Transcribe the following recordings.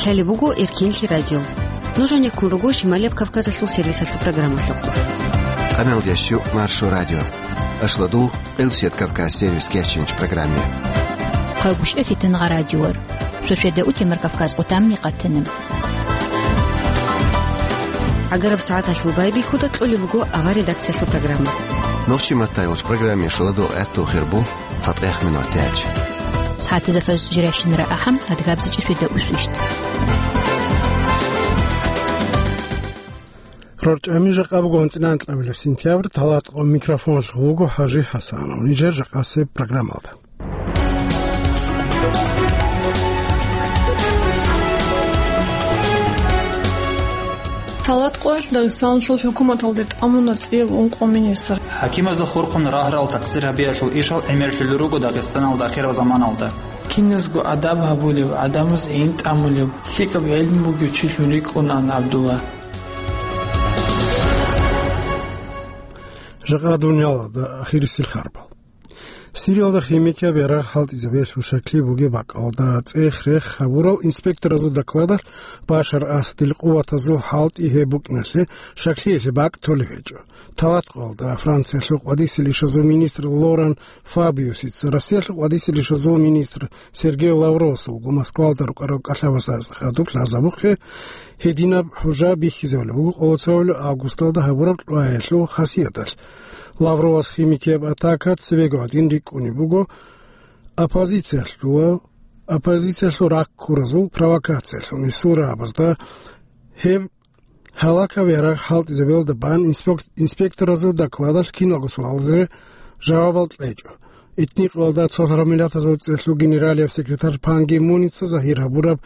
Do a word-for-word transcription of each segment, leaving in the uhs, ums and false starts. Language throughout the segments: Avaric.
Лъалеб буго Эркинлъи радио. Нуж гьанеккун руго Шималияб Кавказалъул сервисалъул программалъухъ. Къаналдящу Маршо радио. Ашладул Къилсият Кавказ сервис кечинч программе. Хъагушев Фитангъа радиор. Шошеда утемар Кавказ къутамни къатана. Агараб сагӀаталъул байбихьуда кьолеб буго авар редакциялъул программа. Нохчи матайулч программе шуладул гӀатту хирбу. ЦатӀех минутач. СагӀатизафаз жиращинара ахӀам, адгабзичӀи шведа усвищт. РорчӀами жакъа буго анцӀила анкьабилеб сентябрь, талатӀ къо микрофоналъ гъуго ХӀажи ХӀасанов. Нижер жакъасеб программалда. ТалатӀ къоялъ Дагъистаналъул хӀукуматалде тӀамуна цӀияб ункъо министр. ХӀакимазда хурхун рагьарал такъсир гьабиялъул ишал гӀемерлъулел руго Дагъистаналда ахираб заманалда. Киназго адаб гьабулев, гӀадамаз гӀин тӀамулев, лъикӀаб гӀелму бугев чилъун рикӀкӀунаан ГӀабдулла. Жакъа дуниялалда ахирисел харбал. Сириялда химикияб ярагъ хӀалтӀизабиялъул шакли бугеб бакӀалда цӀех-рех гьабурал инспекторазул докладалъ Башар Асадил къуватазул хӀалтӀи гьеб букӀиналъе шаклиялъе бакӀ толеб гьечӀо. ТалатӀ къоялда Франциялъул къвадисел ишазул министр Лоран Фабиусица Россиялъул къвадисел ишазул министр Сергей Лавровасулго Москвалда рукӀарал кӀалъавасда хадуб лъазабухъе гьединаб хӀужа бихьизабулеб буго къоло цоабилеб августалда гьабураб кьваялъул хасияталъ. Лавровас химикияб атака цебего гьадин рикӀкӀунеб буго оппозициялъула, оппозициялъул раккуразул провокациялъул несул рагӀабазда. Гьеб гьалакаб ярагъ хӀалтӀизабиялда бан инспек-, инспекторазул докладалъ киналго суалазе жавабал кьечӀо. Этникъоялда цолъараб миллатазул цӀех генералияб секретарь Пан Ги Муница загьир гьабураб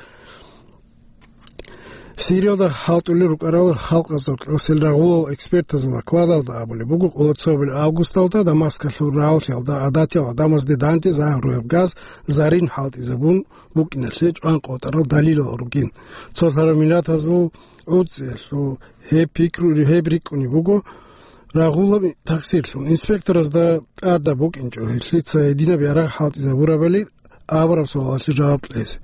Сириялда хӀалтӀулел рукӀарал халкъазда кьосел рагъулал экспертазул докладалда абулеб буго, къоло цоабилеб августалда Дамаскалъул рагӀуллъиялда гӀадатиял гӀадамазде дандчӀвай загьруяб газ зарин хӀалтӀизабун букӀиналъе чӀван къотӀарал далилал ругин. Цолъараб миллатазул гӀуцӀиялъул гьеб пикру-, гьеб рикӀкӀунеб буго рагъулаб такъсирлъун. Инспекторазда тӀадаб букӀинчӀо гьелъица гьединаб ярагъ хӀалтӀизабурабали абураб суалалъе жаваб кьезе.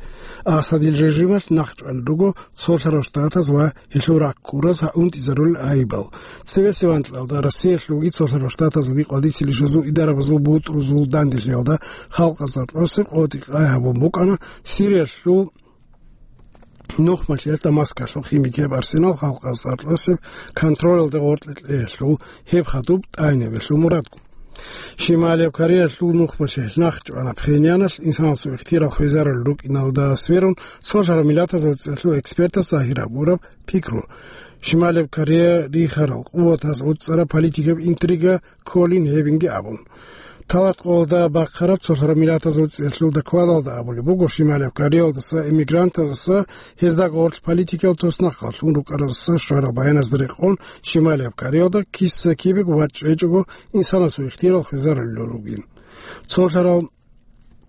Асадил режималъ нахъчӀван руго цолъарал штатаз ва гьелъул раккураз гьа унтӀизарулел айибал. Цебесеб анкьалда Россиялъулги цолъарал штатазулги къвадисел ишазул идарабазул бутӀрузул данделъиялда халкъазда кьосеб къотӀи-къай гьабун букӀана Сириялъул нухмалъиялъ Дамаскалъул химикияб арсенал халкъазда кьосеб контролалде гъоркье кьеялъул гьеб хадуб тӀайнабиялъул мурадго. Шималияб Кореялъул нухмалъиялъ нахъчӀвана Пхеньяналъ инсанасул ихтияр хвезарулел рукӀиналда сверун, цолъараб миллатазул цӀех экспертас загьир гьабураб пикру. Шималияб Корея рихарал къуватаз гӀуцӀараб политикаб интрига кколин гьебинги абун. Талат къоялда бахъараб цолъараб миллатазул цӀех докладалда абулеб буго, Шималияб Кореялдаса эмигрантаздаса гьезда гъорлъ политикал туснахъаллъун рукӀараздаса щварал баяназда рекъон, Шималияб Кореялда киса-кибего вачӀ гьечӀого инсанасул ихтияр хвезарулел ругин. Цолъарал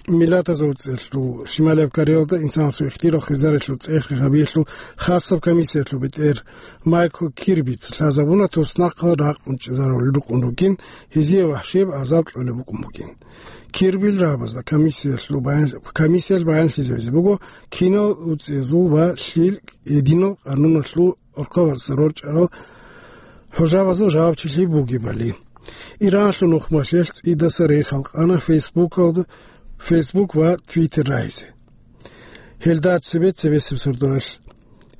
миллатазул цӀех, Шималияб Кореялда инсанасул ихтияр хвезарулел цӀех гьабиялъул хасаб комиссиялъул бетӀер Майкл Кирбица лъазабуна, туснахъал ракъун чӀезарулел рукӀун ругин, гьезие вахӀшияб гӀазаб кьолеб букӀун бугин. Кирбил рагӀабазда комиссиялъул баян-, комиссиялъ баянлъизабизе буго кинал уцӀиязул ва лъил гьединал къануналъул орхъабазда рорчӀарал хӀужабазул жавабчилъи бугебали. Иранлъул нухмалъиялъ цӀидаса рес гьалкъана Фейсбукалда, Фейсбук ва Твиттер рагьизе. Гьелда цебе-цебесеб сордоялъ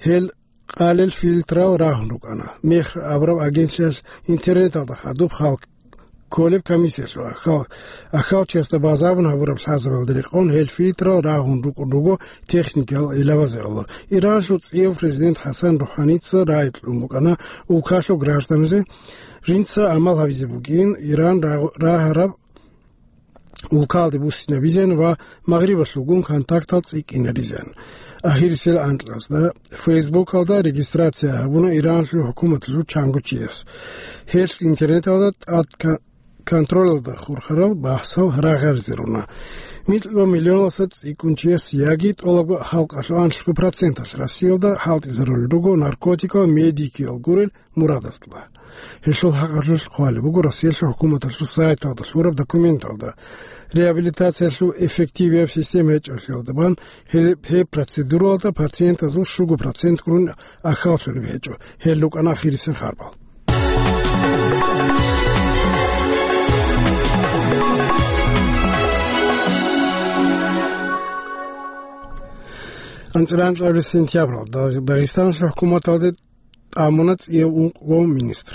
гьел къалел фильтрал рагьун рукӀана. Мехр абураб агентлъиялъ интернеталда хадуб халкъ кколеб комиссиялъул ахал-, ахалчиясда базабун гьабураб лъазабалда рекъон гьел фильтрал рагьун рукӀун руго техникал гӀилабазе гӀоло. Иранлъул цӀияв президент ХӀасан РухӀаница рагӀи кьун букӀана улкалъул гражданазе, жинца гӀамал гьабизе бугин Иран рагъ-, рагьараб улкалде буссинабизеян ва Магърибалъулгун контактал цӀикӀкӀинаризеян. Ахирисел анкьазда Фейсбукалда регистрация гьабуна Иранлъул хӀукуматалъул чанго чияс. Гьелъ интернеталда тӀад ка-, контролалда хурхарал бахӀсал рагъаризе руна. Микьго миллионалдаса цӀикӀкӀун чияс яги тӀолабго халкъалъул анлъго проценталъ Россиялда хӀалтӀизарулел руго наркотикал, медикиял гурел мурадалда. Гьелъул хӀакъалъулъ хъвалеб буго Россиялъул хӀукуматалъул сайталда лъураб документалда. Реабилитациялъул эффективияб система гьечӀолъиялда бан гьеб, гьеб процедуралда пациентазул щуго процент гурун ахьаллъулеб гьечӀо. Гьел рукӀана ахирисел харбал. АнцӀила анкьабилеб сентябралда Дагъистаналъул хӀукуматалде тӀамуна цӀияб ункъго министр.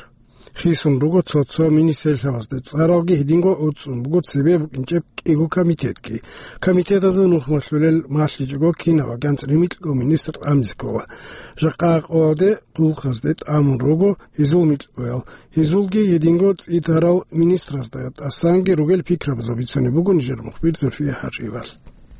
Хисун руго цо-цо министрлъабазда цӀаралги, гьединго гӀуцӀун буго цебе букӀинчӀеб кӀиго комитетги. Комитетазул нухмалъулел малъичӀого кинаб анцӀила микьго министр тӀамизе ккола. Жакъа къоялде хъулухъазде тӀамун руго гьезул микьгоял. Гьезулги гьединго цӀитарал министразда тӀасанги ругел пикрабазул бицунеб буго нижер мухбир Зульфия ХӀажиевал.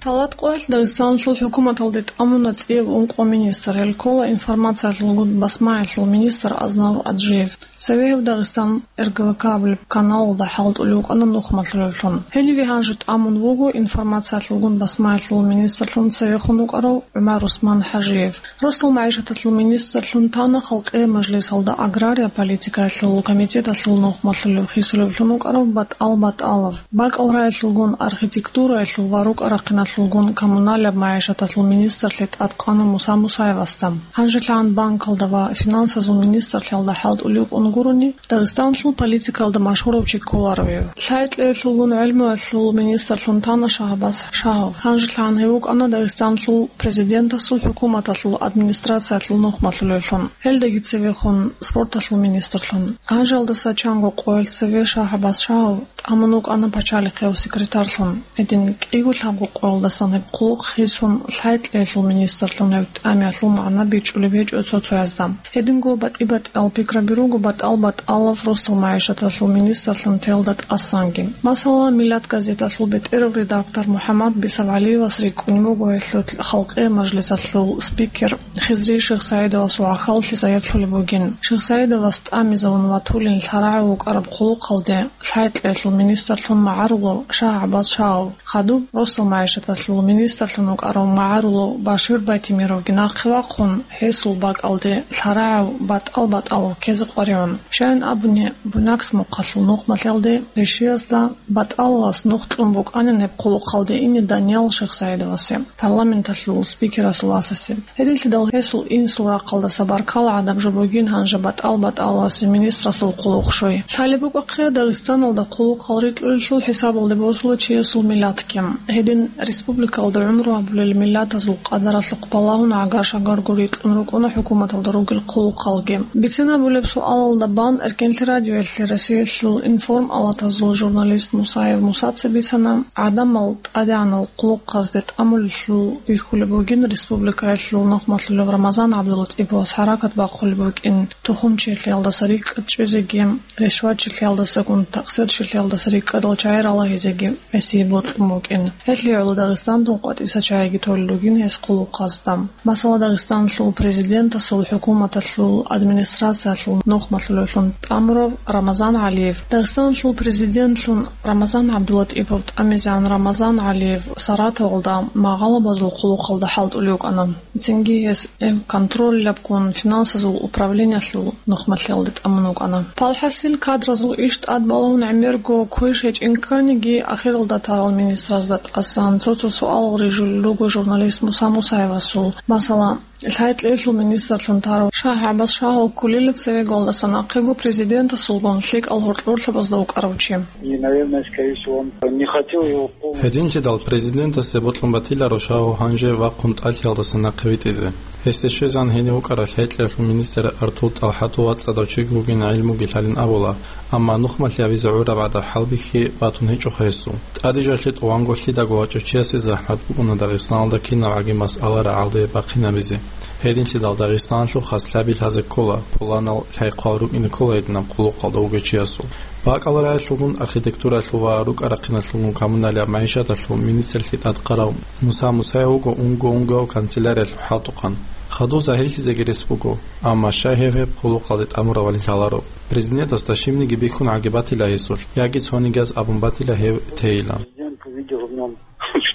Талат къоялъ Дагъистаналъул хӀукуматалде тӀамуна цӀияб ункъо министр. Гьел ккола информациялъулгун басмаялъул министр Азнавур Аджиев. Цеве гьев Дагъистан РГВК абулеб каналалда хӀалтӀулев вукӀана нухмалъулевлъун. Гьениве гьанже тӀамун вуго информациялъулгун басмаялъул министрлъун цевехун вукӀарав ГӀумар Усман ХӀажиев. Росдал магӀишаталъул министрлъун тана халкъие мажлисалда агрария политикаялъул комитеталъул нухмалъулев хисулевлъун вукӀарав БатӀал БатӀалов. БакӀал раялъулгун архитектураялъул ва рукӀа-рахъиналъулгун коммуналияб магӀишаталъул министрлъи тӀадкъана Муса Мусаевасда. ГьанжелъагӀан банкалда ва финансазул министрлъиялда хӀалтӀулев вукӀун гурони, Дагъистаналъул политикаялда машгьурав чи кколаро гьев. Лъайкьеялъулгун гӀелмуялъул министрлъун тана Шагьабаз Шагьов. ГьанжелъагӀан гьев вукӀана Дагъистаналъул президентасул хӀукуматалъул администрациялъул нухмалъулевлъун, гьелдаги цевехун спорталъул министрлъун. Гьанжелдаса чанго къоялъ цеве Шагьабаз Шагьов тӀамун вукӀана пачалихъев секретарьлъун. Гьедин кӀиго-лъабго къоялдасан гьеб хъулухъ хисун, лъайкьеялъул министрлъун гьев тӀамиялъул магӀна бичӀчӀулеб гьечӀо цо-цоязда. Гьединго батӀи-батӀиял пикраби руго БатӀал БатӀалов росдал магӀишаталъул министрлъун теялда тӀасанги. Масала, «Миллат» газеталъул бетӀерав редактор МухӀаммад БисавгӀалиевас рикӀкӀунеб буго гьелъул халкъие мажлисалъул спикер Хизри ШихсагӀидовасул гӀахьаллъи заяблъулеб бугин. ШихсагӀидовас тӀамизавун ватулин лъарагӀав вукӀараб хъулухъалде лъайкьеялъул министрлъун магӀарулав Шагьабаз Шагьов, хадуб росдал магӀишаталъул министрлъун вукӀарав магӀарулав Башир Байтимировги нахъе вахъун, гьесул бакӀалде лъарагӀав БатӀал БатӀалов ккезе къваригӀун. Щайин абуни, Буйнакск мухъалъул нухмалъиялде ришиязда БатӀаловас нух кьун букӀанин гьеб хъулухъалде ине Даниял ШихсагӀидовасе, парламенталъул спикерасул васасе. Гьединлъидал гьесул инсул рахъалдаса баркала гӀадаб жо бугин гьанже БатӀал БатӀаловасе министрасул хъулухъ щой. Лъалеб букӀахъе, Дагъистаналда хъулухъал рикьулелъул хӀисабалде босула чиясул миллатги. Гьедин республикалда гӀумру гьабулел миллатазул къадаралъухъ балагьун гӀагар-шагарго рикьун рукӀуна хӀукуматалда ругел хъулухъалги. Бицинабулеб суалалда бан Эркенлъи радиоялъе Россиялъул информ-алатазул журналист Мусаев Мусаца бицана, гӀадамал тӀадегӀанал хъулухъазде тӀамулелъул бихьулеб бугин республикаялъул нухмалъулев Рамазан ГӀабдулатӀиповас хӀаракат бахъулеб букӀин, тухумчилъиялдаса рикӀкӀад чӀезеги, ришватчилъиялдасагун такъсирчилъиялдаса рикӀкӀадал чагӀи ралагьизеги гӀисие бокьун букӀин. Гьелъие гӀоло Дагъистандун къватӀиса чагӀиги толел ругин гьес хъулухъазда. Масала, Дагъистаналъул президентасул хӀукуматалъул администрациялъул нухмалъулевлъун тӀамурав Рамазан ГӀалиев. Дагъистаналъул президентлъун Рамазан ГӀабдулатӀипов тӀамизегӀан Рамазан ГӀалиев Саратовалда магъалабазул хъулухъалда хӀалтӀулев вукӀана. Цинги гьес гьев контролилабгун финансазул управлениялъул нухмалъиялде тӀамун вукӀана. Палхасил кадразул иш тӀад балагьун гӀемерго квеш гьечӀин кканиги, ахиралда тарал министразда тӀасан цо-цо суал рижулел руго журналист Муса Мусаевасул. Масала, лъай-кьеялъул министрлъун тарав Шагь-ГӀаббас Шагьов кколила цеве, голдасан ахъего президентасулгун лъикӀал гьоркьорлъабазда вукӀарав чи. И, наверное, скорее всего, он не хотел его полностью. Гьединлъидал президентасе бокьун батиларо Шагьов гьанже вахъун тӀалъиялдаса нахъе витӀизе. Гьесде щвезан гьенив вукӀарав лъай-кьеялъул министр Артур ТӀалхӀатов вацӀцӀадав чиг вугин гӀилмуги лъалин абула, амма нухмалъи гьабизе гӀураб гӀадаб хӀалбихьи батун гьечӀоха гьесул. ТӀаде жоялъе тӀуванго лъидаго вачӀав чиясе захӀмат букӀуна Дагъистаналда кинабгӀаги масъала рагӀалде бахъинабизе. Гьединлъидал Дагъистаналъухъ хас лъабил лъазе ккола, пуланал лъай-хъвал рукӀине ккола гьединаб хъулухъалда вугев чиясул. БакӀал раялъулгун, архитектуралъул ва рукӀа-рахъиналъулгун, коммуналияб магӀишаталъул министрлъи тӀадкъарав Муса Мусаев вуго унго-унгояв канцеляриялъул хӀалтӀухъан. Хадув загьирлъизеги рес буго, амма щай гьев гьеб хъулухъалде тӀамурабали лъаларо. Президентасда щибниги бихьун гӀагиб батила гьесулъ, яги цониги абун батила гьев тейилан. Президент увидел в нём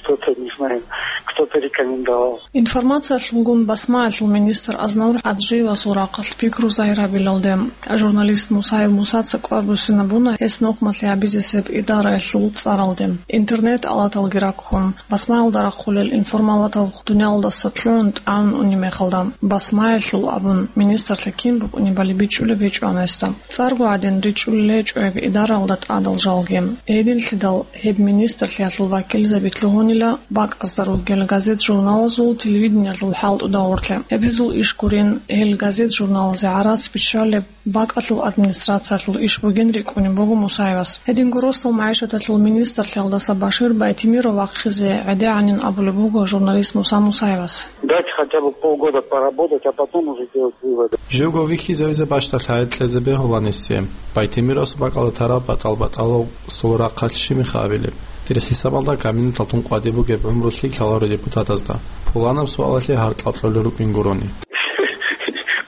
что-то, не знаю, кто-то рекомендовал. Информациялъулгун басмаялъул министр Азнавур ХӀаджиевасул рахъалъ пикру загьир гьабилалде, журналист Мусаев Мусаца кӀвар буссинабуна гьес нухмалъи гьабизе гьеб идараялъул цӀаралде, интернет-алаталги раккун, басмаялда рахъулел информалатал дуниялалдаса лъугӀун тӀагӀун унеб мехалда, басмаялъул абун, министрлъи кин букӀунебали бичӀчӀулеб гьечӀо гьесда. ЦӀарго гӀадин ричӀчӀулел гьечӀо гьеб идаралда тӀадал жалги. Гьединлъидал гьеб министрлъиялъул вакилзабилъ лъугьунила бакӀазда ругел газет-журналазул, телевидениялъул хӀалтӀуда гъорлъе. Гьеб гьезул иш гурин, гьел газет-журналазе гӀарац биччалеб бакӀалъул администрациялъул иш бугин рикӀкӀунеб буго Мусаевас. Гьединго росдал магӀишаталъул министрлъиялдаса Башир Байтемиров вахъизе гӀедегӀанин абулеб буго журналист Муса Мусаевас. Дайте хотя бы полгода поработать, а потом уже делать выводы. Живго вихьизавизе бащдалъ гьайир кьезе бегьула несе. Байтемировасул бакӀалда тараб батӀал-батӀалал сул рахъалъ щиб меха абилеб? Дир хӀисабалда кабинеталъун къватӀиб бугеб гӀумру лъикӀ лъаларо депутатазда, пуланаб суалалъе гьаркьал кьолел рукӀин гурони.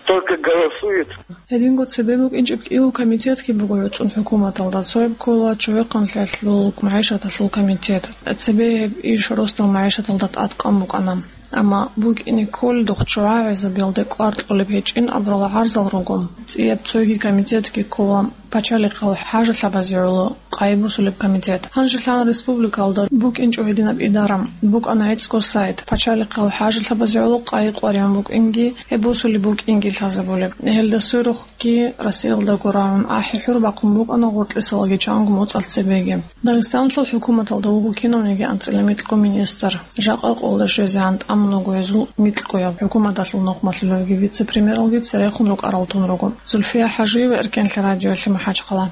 Только голосует. Гьединго цебе букӀинчӀеб кӀиго комитетги буго гӀуцӀун хӀукуматалда, цояб ккола чӀухӀахъанлъиялъул магӀишаталъул комитет. Цебе гьеб иш росдал магӀишаталда тӀадкъан букӀана. Амма букӀине кколел духъ чӀухӀагӀезабиялде кӀвар кьолеб гьечӀин абурал гӀарзал руго. ЦӀияб цоги комитетги ккола пачалихъал хӀажалъабазе гӀоло къайи босулеб комитет. Гьанжелъан республикалда букӀинчӀо гьединаб идара. БукӀана гӀицӀго сайт, пачалихъал хӀажалъабазе гӀоло къайи къваригӀун букӀинги, гьеб босулеб букӀинги лъазабулеб. Гьелда сверухъги Россиялдаго рагӀун ахӀи-хӀур бахъун букӀана гъоркьисалаги чанго моцӀалъ цебеги. Дагъистаналъул хӀукуматалда вуго кинавниги анцӀила микьго министр. Жакъа къолда щвезегӀан тӀамун вуго гьезул микьгояб хӀукуматалъул нухмалъулевги вице-премьералги церехун рукӀарал тун руго. Зульфия ХӀажиева, Эркенлъи радиолъи, МахӀачхъала.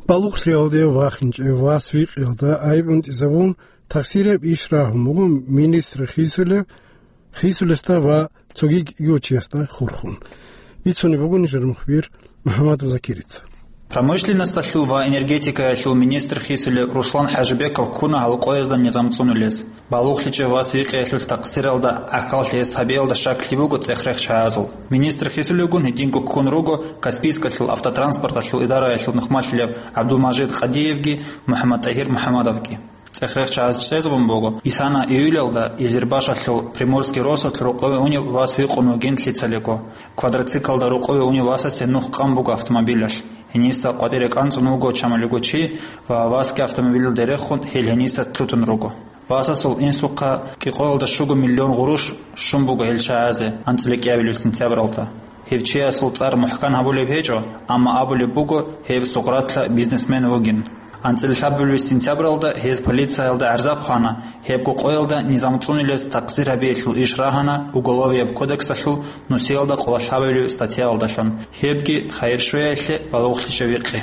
Балугълъиялде вахинчӀев вас викъиялда гӀайиб унтӀизабун, тахсираб иш рагьун буго министр хисулев, хисулесда ва цоги кӀиго чиясда хурхун. Бицунеб буго нижер мухбир МухӀаммад Закирица. Промышленносталъул ва энергетикаялъул министр хисулев Руслан ХӀажибеков ккуна гьал къоязда низам цӀунулез. БалугълъичӀев вас викъиялъул такъсиралда гӀахьаллъи гьес гьабиялда щаклъи буго цӀех-рех чагӀазул. Министр хисулевгун гьединго ккун руго Каспийскалъул автотранспорталъул идараялъул нухмалъулеб ГӀабдулмажид Къадиевги МухӀаммадтӀагьир МухӀаммадовги. ЦӀех-рех чагӀаз чӀезабун буго, исана июлялда Изирбашалъул Приморский росулъ рокъове унев вас викъун вугин лъицалего. Квадроциклда рокъове унев васасе нух къан буго автомобилалъ. Гьениса къватӀире кӀанцӀун вуго чамалиго чи ва васги автомобилалде рехун гьел гьениса лъутун руго. Васасул инсухъа кӀикъоялда щуго миллион гъурущ щун буго гьел чагӀазе анцӀила кӀиабилеб сентябралда. Гьев чиясул цӀар мухӀкан гьабулеб гьечӀо, амма абулеб буго, гьев Сугъратла бизнесмен вугин. АнцӀила лъабабилеб сентябралда гьез полициялда гӀарза хъвана, гьебго къоялда низам цӀунилез такъсир гьабиялъул иш рагьана Уголовияб кодексалъул нусиялда къоло лъабабилеб статьяялдалъун, гьебги хайир щвеялъе балугълъичӀев викъи.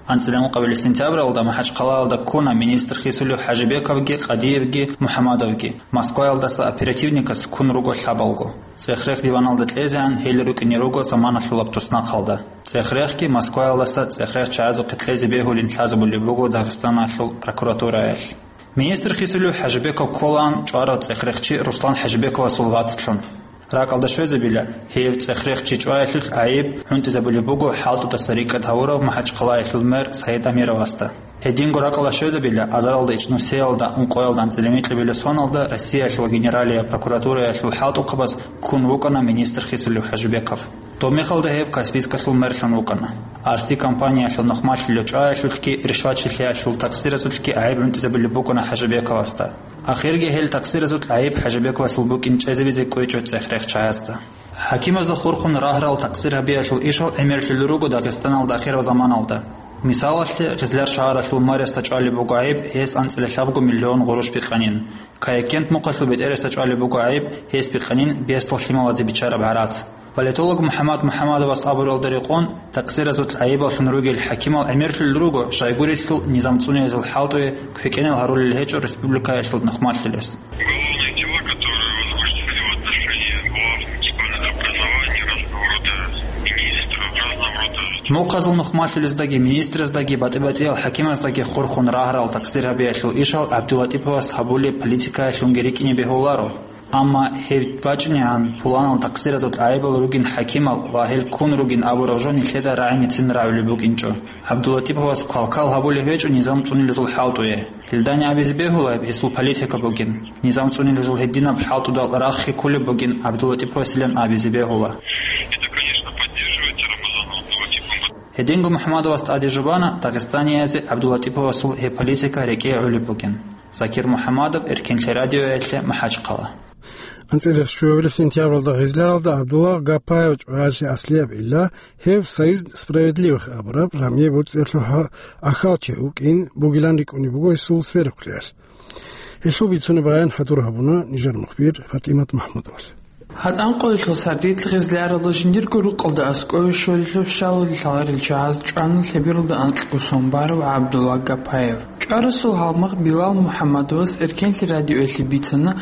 АнцӀила ункъабилеб сентябралда МахӀачхъалаялда ккуна министр хисулев ХӀажибековги, Къадиевги, МухӀамадовги. Москваялдаса оперативникас ккун руго лъабалго. ЦӀех-рех диваналда кьезегӀан гьел рукӀине руго заманалъулаб туснахъалда. ЦӀех-рехги Москваялдаса цӀех-рех чагӀазухъе кьезе бегьулин лъазабулеб буго Дагъистаналъул прокуратураялъ. Министр хисулев ХӀажибеков кколаан чӀварав цӀех-рехчи Руслан ХӀажибековасул вацлъун. РакӀалда щвезабила, гьев цӀех-рехчи чӀваялъулъ гӀайиб гӀунтӀизабулеб буго хӀалтӀудаса рикӀкӀад гьавурав МахӀачхъалаялъул мэр Саид Амировасда. Гьединго ракӀалда щвезабила, азаралда ичӀнусиялда ункъоялда анцӀила микьабилеб соналда Россиялъул Генералияб прокуратураялъул хӀалтӀухъабаз ккун вукӀана министр хисулев ХӀажибеков. Доб мехалда гьев Каспийскалъул мерлъун вукӀана. Арси компаниялъул нухмалъулев чӀваялъулъги ришватчилъиялъул такъсиразулъги гӀайиб гӀунтӀизабулеб букӀана ХӀажибековасда. Ахирги гьел такъсиразул гӀайиб ХӀажибековасул букӀин чӀезабизе кӀвечӀо цӀех-рехчагӀазда. ХӀакимазда хурхун рагьарал такъсир гьабиялъул ишал гӀемерлъулел руго Дагъистаналда ахирал заманалда. Мисалалъе, Гъизлар шагьаралъул мэриясда чӀвалеб буго гӀайиб гьес анцӀила лъабго миллион гъурущ бикъанин. Каякент мухъалъул бетӀерасда чӀвалеб буго гӀайиб гьес бикъанин бесдал лъималазе биччараб гӀарац. Политолог МухӀаммад МухӀаммадовас абуралда рекъон, такъсиразул гӀайибаллъун ругел хӀакимал гӀемерлъулел руго, щайгурелъул низам цӀунилезул хӀалтӀуе квекӀенал гьарулел гьечӀо республикаялъул нухмалъулес. Уголовные дела, которые возбуждены в отношении глав муниципальных образований разного рода министров, разного рода... Мухъазул нухмалъулездаги, министрездаги, батӀи-батӀиял хӀакимаздаги хурхун рагьарал такъсир гьабиялъул ишал ГӀабдулатӀиповас гьабулеб политикаялъунги рикӀкӀине бегьуларо. Амма гьел вачӀинегӀан пуланал такъсиразул гӀайибал ругин хӀакимал ва гьел ккун ругин абураб жо нилъеда рагӀиницин рагӀулеб букӀинчӀо. ГӀабдуллатиповас квалквал гьабулеб гьечӀо низам цӀунилезул хӀалтӀуе. Гьелдани абизе бегьула гьеб гьесул политика бугин. Низам цӀунилезул гьединаб хӀалтӀудал рахъги кколеб бугин ГӀабдуллатиповасилан абизе бегьула. Это, конечно, поддерживается Рамазаном Абдуллатиповым. Гьединго МухӀаммадовас тӀаде жубана дагъистаниязде ГӀабдуллатиповасул гьеб политика рекӀее гӀолеб бугин. Закир МухӀаммадов, Эркенлъи радиоялъе, МахӀачхъала. АнцӀила щуабилеб сентябралда Гъизляралда ГӀабдулла Гапаев чӀваялъе аслияб гӀилла гьев «Союз справедливых» абураб жамгӀияб боцӀиялъул гьа-, ахьалчи вукӀин бугилан рикӀкӀунеб буго гьесул сверухълъиялъ. Гьелъул бицунеб баян хӀадур гьабуна нижер мухбир ФатӀимат МахӀмудовас. ГьатӀан къоялъул сардилъ Гъизляралда жиндирго рукъалда аскӀове щолелъул щалалде лъаларел чагӀаз чӀвана лъебералда анкьго сон барав ГӀабдулла Гапаев. ЧӀварасул гьалмагъ Билал МухӀаммадовас Эркенлъи радиоялъе бицана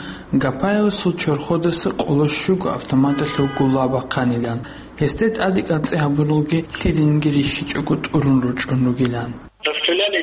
Гапаевасул чорходаса къоло щуго автоматалъул гулла бахъанилан, гьесде тӀаде кӀанцӀи гьабуралги лъидинги рихьичӀого тӀурун ручӀун ругилан. Расстреляли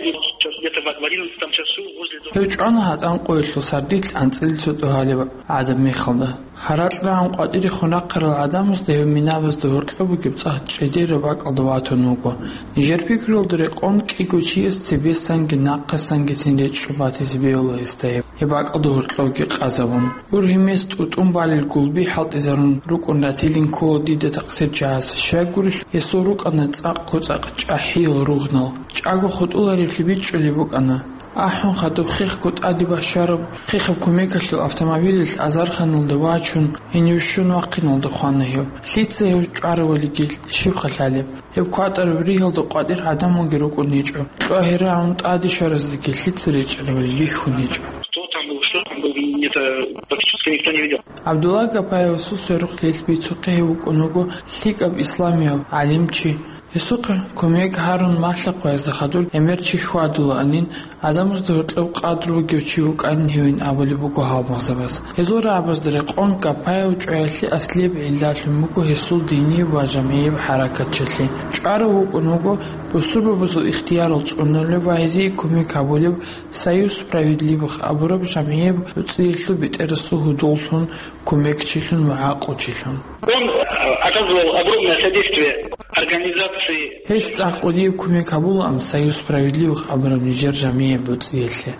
где-то в одиннадцатом часу возле дома. Гьев чӀвана гьатӀан къоялъул сардилъ анцӀила цо тӀогьалеб гӀадаб мехалда. Гьаракь рагӀун къватӀирехун рахъарал гӀадамазда гьев минабазда гьоркьоб бугеб цӀакъ чӀедераб бакӀалда ватун вуго. Нижер пикруялда рекъон кӀиго чияс цебесанги нахъасангицин речӀчӀун батизе бегьула гьесда гьеб, гьеб бакӀалда гьоркьобги къазабун. Ургьимес тӀутӀун балел гулби хӀалтӀизарун рукӀун ратилин ккола дида такъсирчагӀаз. Щайгурелъ гьесул рукӀана цӀакъго-цӀакъ чӀахӀиял ругънал. ЧӀаго хутӀуларевлъи бичӀчӀулеб букӀана. АхӀун хадуб хехго тӀаде бащараб хехаб кумекалъул автомобилалъ азарханалда вачун, гьенив щун вахъиналда хвана гьев. Лъица гьев чӀваравулиги, щибха лъалеб? Гьеб кватӀараб ригьалда къватӀир гӀадамалги рукӀун гьечӀо. КьвагьирагӀун тӀаде щвараздаги лъица речӀчӀарабали бихьун гьечӀо. Кто там был, что там был, мне это практически никто не видел. ГӀабдулла Гапаевасул сверухълъиялъ бицухъе гьев вукӀун вуго лъикӀаб исламияв гӀалимчи. Гьесухъе кумек гьарун малъа-хъваязда хадур гӀемер чи хьвадулаанин, гӀадамазда гьоркьоб къадру бугев чи вукӀанин гьевин абулеб буго гьалмагъзабаз. Гьезул рагӀабазда рекъон Гапаев чӀваялъе аслияб гӀиллалъун буго гьесул динияб ва жамгӀияб хӀаракатчилъи. ЧӀварав вукӀун вуго бусурбабазул ихтиярал цӀунулев ва гьезие кумек гьабулев «Союз справедливых» абураб жамгӀияб боцӀиялъул бетӀерасул гьудуллъун, кумекчилъун ва гӀакълучилъун. Он, э, оказывал огромное содействие организации. Гьес цӀакъ кӀудияб кумек гьабулаан «Союз справедливых» абураб нижер жамгӀияб боцӀиялъе.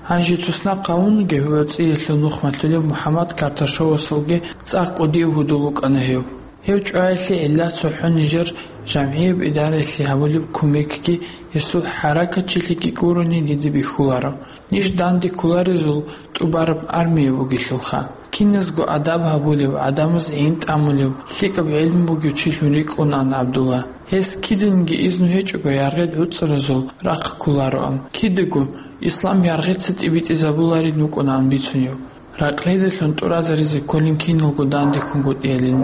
Гьанже туснахъ гьавунаги гьев боцӀиялъул нух малъулев МухӀаммад Карташовасулги цӀакъ кӀудияб гьудул вукӀана гьев. Гьев чӀваялъе гӀилла цохӀо нижер жамгӀияб идараялъе гьабулеб кумекги гьесул хӀаракатчилъиги гурони дида бихьуларо. Ниж данде кколарезул тӀубараб армия бугелъулха. Киназго адаб гьабулев, гӀадамаз гӀин тӀамулев, лъикӀаб гӀелму бугев чилъун рикӀкӀунаан ГӀабдулла. Гьес киданги изну гьечӀого яргъи гӀуцӀаразул рахъ кколароан. Кидаго ислам яргъица тӀибитӀизабуларин вукӀунаан бицунев. Ракълидалъун тӀуразаризе кколин киналго дандехунгутӀиялин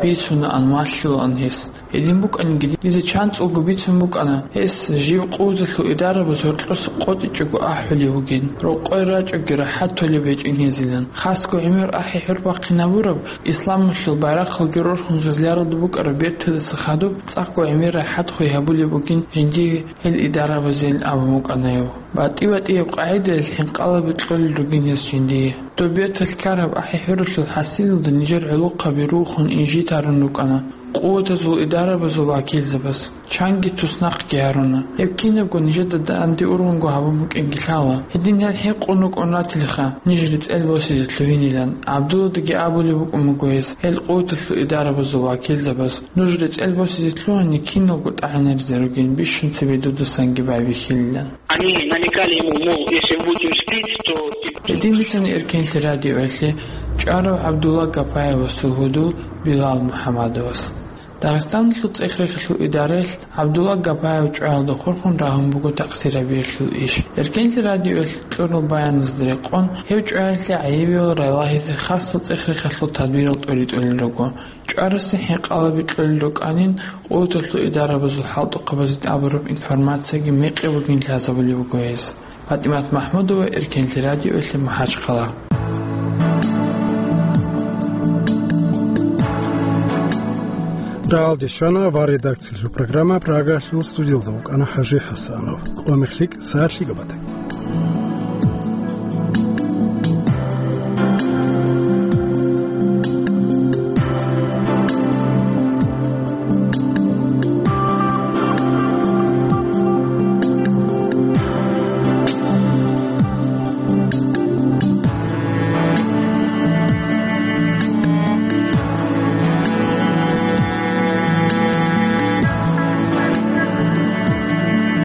бицунаан, малъулаан гьес. Гьедин букӀаниги, дида чанцӀулго бицун букӀана, гьес жив къуваталъул идарабаз гьоркьоса къотӀичӀого ахӀулев вугин, рокъой рачӀоги рахӀат толеб гьечӀин гьезилан. Хасго гӀемер ахӀи-хӀур бахъинабураб, исламалъул байрахъалги рорхун гъизляралда букӀараб бертадаса хадуб, цӀакъго гӀемер рахӀат хвей гьабулеб бугин жиндие гьел идарабазейин абун букӀана гьев. БатӀи-батӀияб къагӀидаялъ хӀинкъалаби кьолел ругин гьес жиндие. Доб берталъ ккараб ахӀи-хӀуралъул хӀасилалда нижер гӀолохъаби рухун инжит гьарун рукӀана. Къуватазул идарабазул вакилзабаз чанги туснахъги гьаруна. Гьеб кинабго нижеда данде ургъунго гьабун букӀинги лъала. Гьедин гьел хӀинкъун рукӀун ратилха, ниж рецӀел босизе лъугьинилан. ГӀабдулладаги абулеб букӀун буго гьес, гьел къуваталъул идарабазул вакилзабаз, нуж рецӀел босизе лъугьани киналго тӀагӀинаризе ругин, бищун цебе дудасанги байбихьилилан. Они намекали ему, мол, если вы будете успеть, то ты... Гьедин бицана Эркенлъи радиоялъе чӀварав ГӀабдулла Гапаевасул гьудул Билал МухӀаммадовас. Дагъистаналъул цӀех-рехалъул идараялъ ГӀабдулла Гапаев чӀваялда хурхун рагьун буго такъсирабиялъул иш. Эркенлъи радиоялъ кьурал баяназда рекъон, гьев чӀваялъе гӀайибиял ралагьизе хасал цӀех-рехалъул тадбирал тӀури-тӀурел руго. ЧӀварасе хӀинкъалаби кьолел рукӀанин, къуваталъул идарабазул хӀалтӀухъабазе тӀадабураб информацияги мекъи бугин лъазабулеб буго гьес. ПатӀимат МахӀмудова, Эркенлъи радиоялъе, МахӀачхъала. Рагьалде щвана ва редакциялъул программа Прагалъул студиялда вукӀана ХӀажи ХӀасанов. Къо мехлъи сагӀат лъикӀаб батаги.